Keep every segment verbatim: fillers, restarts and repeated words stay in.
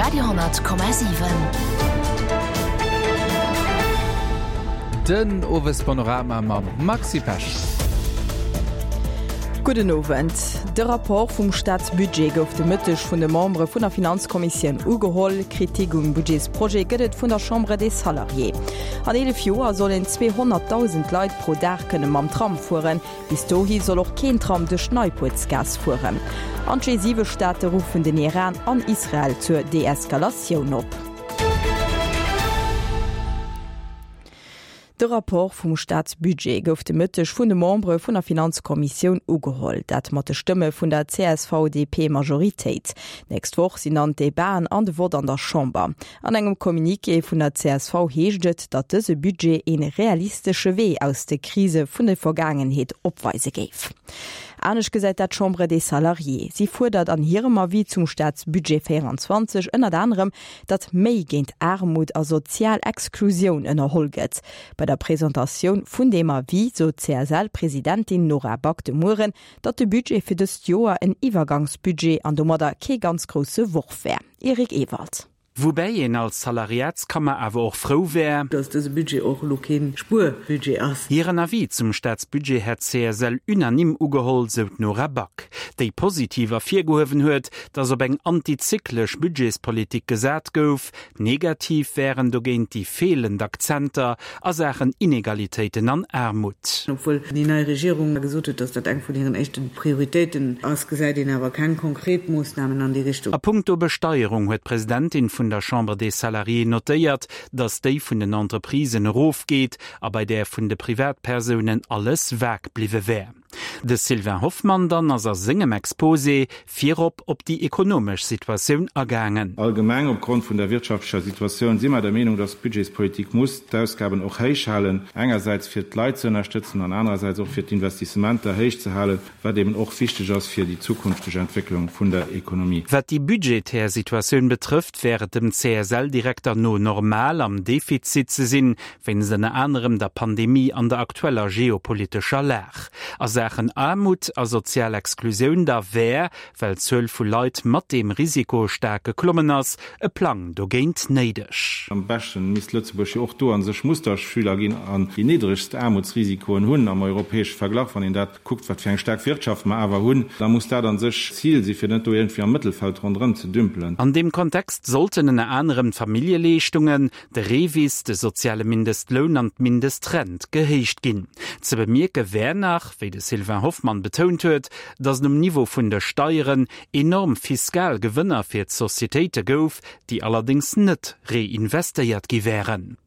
Radio hundert Komma siwen. Den Owespanorama mam Maxi Pesch. Gudden Owend. De Rapport vum Staatsbudget gouf de Mëtteg vun de Membere vun der Finanzkommissioun ugeholl. Kritik um Budgetsprojet gëtt et vun der Chambre des Salariés. An eelef Joer sollen zweehonnertdausend Leit pro Dag kënne mam Tram fueren. Bis dohi soll och keen Tram duerch d'Neipuertsgaass fueren. An d'G siwe Staate ruffen den Iran an Israel zur Deeskalatioun op. De Rapport vum Staatsbudget gouf de Mëtteg vun de Membere vun der Finanzkommissioun ugeholl, dat mat de Stëmme vun der C S V D P-Majoritéit. D'nächst Woch sinn dann d'Debaten an de Vott an der Chamber. An engem Communiqué vun der C S V heescht et, datt dëse Budget ee realistesche Wee aus de Krise vun der Vergaangenheet opweise géif. Anescht gesäit dat d'Chambre des Salariés. Si fuerdert an hirem Avis zum Staatsbudget véieranzwanzeg ënnert anerem, datt méi géint Aarmut a sozial Exklusioun ënnerholl gëtt. Bei der Presentatioun vun deem Avis sot d'C S L-Presidentin Nora Back de Mueren, datt de Budget fir dëst Joer en Iwwergangsbudget an domadder kee ganz grousse Worf wär. Eric Ewald. Woubäi een als Salariatskammer awer och frou wär, dass dëse Budget och elo kee Spuerbudget ass. Hiren Avis zum Staatsbudget hätt d'C S L unanime ugeholl, sou d'Nora Back, déi positiv ervirgehuewen huet, datt op eng antizyklesch Budgetspolitik gesat gouf. Negativ wären dogéint déi feelend Akzenter a Saachen Inegalitéiten an Aarmut. Obwuel déi nei Regierung gesot huet, dass dat eng vun hiren éischte Prioritéiten ass, gesäit een awer keng konkret Moossnamen an déi Richtung. A punkto Besteierung huet d'Presidentin vun der Chambre des Salariés notéiert, datt déi vun den Entreprisen erofgeet a bei där vun de Privatpersounen alles vag bliwwe wär. De Sylvain Hoffmann dann ass a sengem Exposé virop op déi ekonomesch Situatioun agaangen. Allgemeng opgrond vun der wirtschaftlecher Situatioun si mer der Meenung, dass d'Budgetspolitik muss d'Ausgaben och héich halen, engersäits fir d'Leit ze ënnerstëtzen an anerersäits och fir d'Investissementer héich ze halen, wat eben och wichteg ass fir déi zukünfteg Entwécklung vun der Ekonomie. Wat déi budgetär Situatioun betrëfft, wär et dem C S L-Direkter no normal, am Defizit ze sinn, wéinst ënner anerem der Pandemie an der aktueller geopolitescher Lag. A Saachen Aarmut a sozial Exklusioun da wär, well d'Zuel vu Leit mat deem Risiko staark geklommen ass, e Plang dogéint néideg. Am beschten misst Lëtzebuerg jo och do a sech Musterschüler ginn an déi niddregst Aarmutsrisikoen hunn am europäesche Verglach. Wann een dat kuckt, wat fir eng staark Wirtschaft mer awer hunn, da muss dat a sech d'Zil si fir net do iergendwéi am Mëttelfeld ronderëm ze dümpelen. An deem Kontext sollten ënner anerem d'Familljeleeschtungen, de REVIS, de soziale Mindestloun an d'Mindestrent gehéicht ginn. Ze bemierke wär nach, wéi de Sylvain Hoffmann betount huet, datt et um Niveau vun de Steieren enorm fiskal Gewënner fir d'Societéite gouf, déi allerdéngs net reinvestéiert gi wären.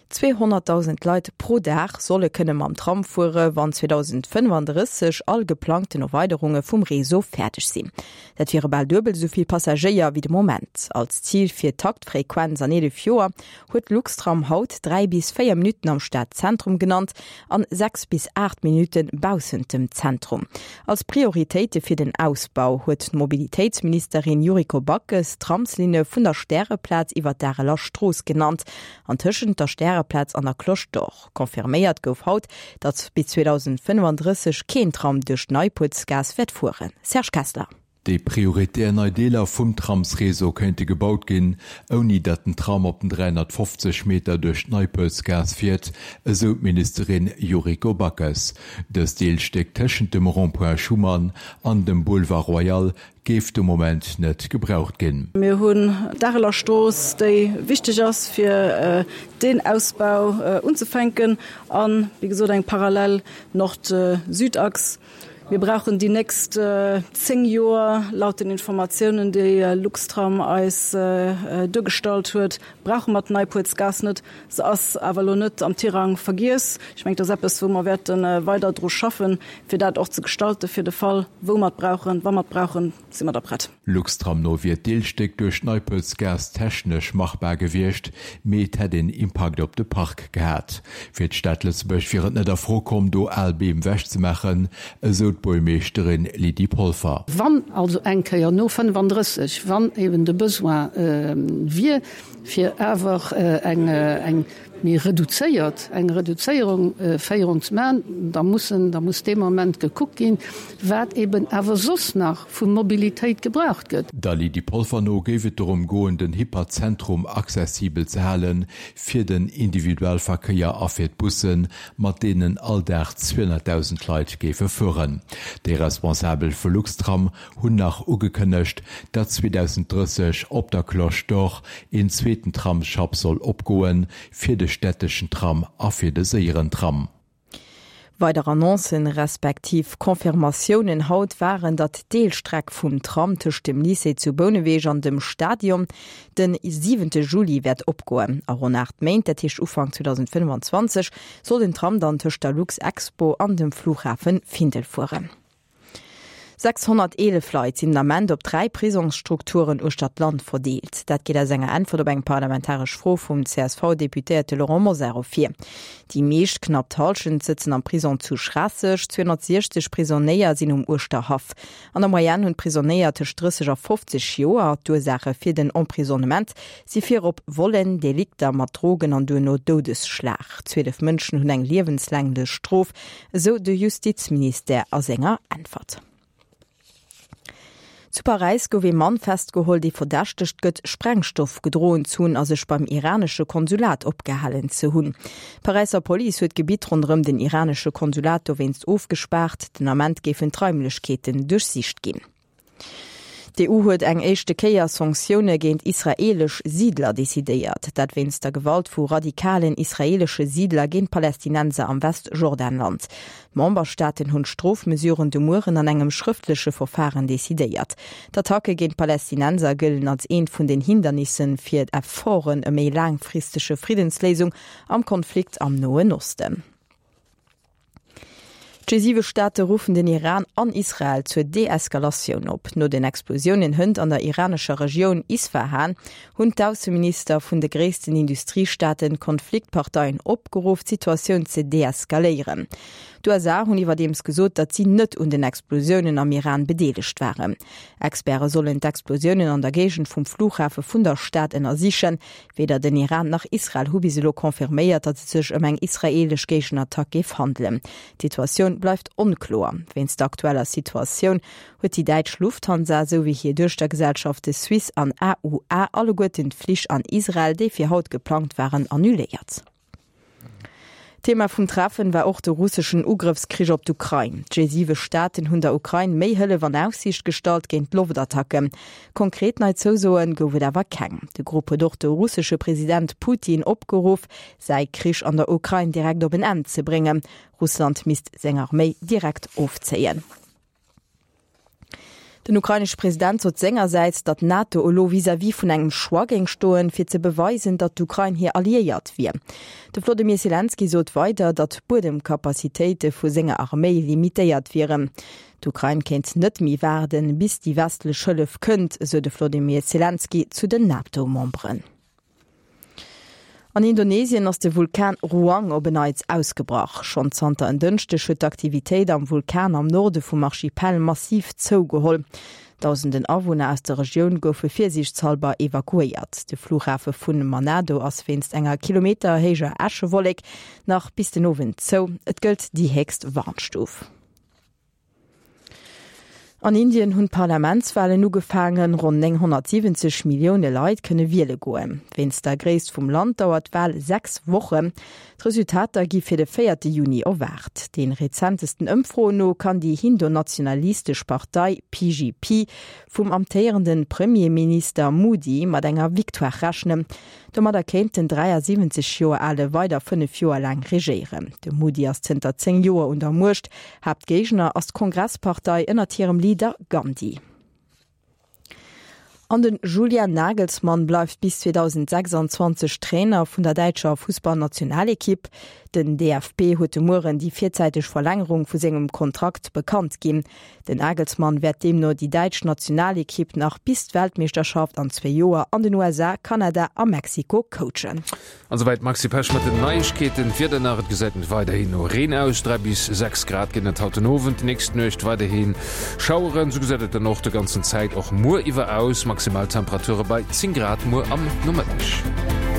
Zweehonnertdausend Leit pro Dag solle kënne mam Tram fuere wann zweedausendfënnefandrësseg all geplangten Erweiderunge vum Réseau fäerdeg sinn. Dat wiere bal duebel esou vill Passagéier wéi de Moment. Als Zil fir d'Taktfrequenz an eelef Joer huet Luxtram haut dräi bis véier Minutten am Stadzentrum genannt an sechs bis aacht Minutte baussent dem Zentrum. Als Prioritéite fir den Ausbau huet d'Mobilitéitsministerin Yuriko Backes d'Tramslinne vun der Stäreplaz iwwer d'Areler Strooss genannt an tëschent der Stäreplaz an der Cloche d'Or. Confirméiert gouf haut, datt bis zweedausendfënnefandrësseg keen Tram duerch d'Neipuertsgaass wäert fueren. Serge Kessler. Déi prioritär nei Deeler vum Tramsréseau kéinte gebaut ginn, ouni datt den Tram op den dräihonnertfofzeg Meter duerch d'Neipuertsgaass fiert, esou d'Ministerin Yuriko Backes. Dëst Deelstéck tëschent dem Rond-point Schuman an dem Boulevard Royal géif de Moment net gebraucht ginn. Mir hunn d'Areler Strooss, déi wichteg ass fir deen Ausbau unzefänken an, wéi gesot, eng parallel Nord-Süd-Achs. Mir brauchen déi nächst zéng Joer, laut den Informatiounen, déi Luxtram eis duergestallt huet, brauche mer d'Neipuertsgaass net. Se ass awer elo net am Tirang vergiess. Ech mengen, dat ass eppes, wou mer wäerte weider dru schaffen, fir dat och ze gestalten, fir de Fall, wou mer et brauchen, wa mer et brauchen, si mer da prett. Luxtram no wier d'Deelstéck duerch d'Neipuertsgaass technesch machbar gewiescht, mee et hätt een Impakt op de Park gehat. Fir d'Stad Lëtzebuerg wier et net a Fro komm, do al Beem ewechzemaachen, esou d'Buergermeeschterin Lydie Polfer. Wann also eng Kéier no fënnefandrësseg, wann eben de Besoin wier, fir awer eng eng méi reduzéiert, eng Reduzéierung, Féierung ze maachen, da mussen, da muss dee Moment gekuckt ginn, wat eben awer soss nach vu Mobilitéit gebraucht gëtt. Der Lydie Polfer no géif et dorëm goen, den Hyperzentrum accessibel ze hale fir den Individualverkéier a fir d'Bussen, mat deenen all Dag zweehonnertdausend Leit géife fueren. Déi Responsabel vu Luxtram hunn nach ugekënnegt, datt zweedausenddrësseg op der Cloche d'Or een zweeten Tramsschapp soll opgoen, fir de städteschen Tram a fir de séieren Tram. Weider Annoncen, respektiv Confirmatiounen haut waren, datt d'Deelstreck vum Tram tëscht dem Lycée zu Bouneweg an dem Stadion de siwente Juli wäert opgoen. A ronn aacht Méint, dat heescht Ufank zweedausendfënnefanzwanzeg, soll den Tram dann tëscht der Luxexpo an dem Flughafen Findel fueren. sechshonnerteelef Leit sinn den Ament op dräi Prisongsstrukturen uechter d'Land verdeelt. Dat geet aus enger Äntwert op eng parlamentaresch Fro vum C S V-Deputéierte Laurent Mosar ervir. Déi meescht, knapp d'Hallschent, sëtzen am Prisong zu Schraasseg. Zweehonnertsiechzeg Prisonéier sinn um Uerschterhaff. An der Moyenne hunn d'Prisonéier tëscht drësseg a fofzeg Joer. D'Ursaache fir den Emprisonnement si virop Vollen, Delikter mat Drogen an duerno Doudesschlag. Zwielef Mënschen hunn eng liewenslänglech Strof, esou de Justizministère a senger Äntwert. Zu Paräis gouf ee Mann festgeholl, dee verdächtegt gëtt, Sprengstoff gedroen ze hunn a sech beim iranesche Konsulat opgehalen ze hunn. D'Paräisser Police huet d'Gebitt ronderëm den iranesche Konsulat dowéinst ofgespaart. Den Ament géifen d'Raimlechkeeten duerchsicht ginn. D'E U huet eng éischte Kéier Sanktioune géint israeelesch Siidler decidéiert. Dat wéinst der Gewalt vu radikalen israeelesche Siidler géint Palästinenser am Westjordanland. D'Memberstaaten hunn d'Strofmesuren de Mueren an engem schrëftleche Verfaren decidéiert. D'Attacke géint Palästinenser gëllen als eent vun den Hindernissen fir d'Efforten ëm eng laangfristege Friddensléisung am Konflikt am Noen Osten. D'G-siwe-Staate ruffen den Iran an Israel zur Deeskalatioun op. No den Explosiounen hënt an der iranescher Regioun Isfahan hunn d'Ausseminister vun de gréissten Industriestaaten d'Konfliktparteien opgeruff, d'Situatioun ze deeskaléieren. D'U S A hunn iwwerdeems gesot, datt si net un den Explosiounen am Iran bedeelegt waren. Experte sollen d'Explosiounen an der Géigend vum Flughafe vun der Stad ënnersichen. Weder den Iran nach Israel hu bis elo confirméiert, datt et sech ëm eng israeelesch Géigenattack géif handelen. D'Situatioun bleift onkloer. Wéinst der aktueller Situatioun huet déi däitsch Lufthansa esou wéi hir Duechtergesellschafte Swiss an A U A alleguerten d'Flich an Israel, déi fir haut geplangt waren, annuléiert. Thema vum Treffen war och de russeschen Ugrëffskrich op d'Ukrain. D'G-siwe-Staaten hunn der Ukrain méi Hëllef an Aussiicht gestallt géint d'Loftattacken. Konkret nei Zousoe gouf et awer keng. De Grupp huet och de russesche President Putin opgeruff, säi Krich an der Ukrain direkt op en Enn ze bréngen. Russland misst seng Arméi direkt ofzéien. Den ukrainesche President sot sengersäits, datt d'NATO elo vis-à-vis vun engem Choix géing stoen, fir ze beweisen, datt d'Ukrain hir Alliéiert wier. De Wlodimir Selenskyj sot weider, datt d'Buedemkapazitéite vu senger Arméi limitéiert wieren. D'Ukrain kéint net méi waarden, bis déi westlech Hëllef kënnt, sou de Wlodimir Selenskyj zu den NATO-Memberen. An Indonesien ass de Vulkan Ruang op en Neits ausgebrach. Schonn zanter en Dënschdeg huet d'Aktivitéit am Vulkan am Norde vum Archipel massiv zougeholl. Dausenden Awunner aus der Regioun goufe virsiichtshallber evakuéiert. De Flughafe vun Manado ass wéinst enger kilometerhéijer Äschewollek nach bis den Owend zou. Et gëllt déi héchst Warnstuf. An Indien hunn d'Parlamentswalen ugefaangen, ronn nénghonnertsiwwenzeg Millioune Leit kënne wiele goen. Wéinst der Gréisst vum Land dauert d'Wal sechs Wochen. D'Resultater gi fir de véierte Juni erwaart. De rezentesten Ëmfroen no kann déi hindu-nationalistesch Partei B J P vum amtéierende Premierminister Modi mat enger Victoire rechnen. Domadder kéint den dräiasiwwenzeg Joer ale weider fënnef Joer laang regéieren. De Modi ass zënter zéng Joer un der Muecht. Haaptgéigner ass d'Kongresspartei ënnert hirem Leader Gandhi. An den Julian Nagelsmann bleift bis zweedausendsechsanzwanzeg Trainer vun der däitscher Fussballnationalekipp. Den D F B huet de Mueren déi virzäiteg Verlängerung vu sengem Kontrakt bekannt ginn. Den Nagelsmann wäert deemno déi däitsch Nationalekipp nach bis d'Weltmeeschterschaft an zwee Joer an den U S A, Kanada a Mexiko coachen. An souwäit d'Maxi Pesch mat den Neiegkeeten. D'Wieder nach, et gesäit weiderhin no Reen aus, dräi bis sechs Grad ginn et haut den Owend, déi nächst Nuecht weiderhi Schaueren. Sou gesäit et dann och de ganzen Zäit och muer iwwer aus, Maximaltemperature bei zéng Grad muer am Nomëtteg.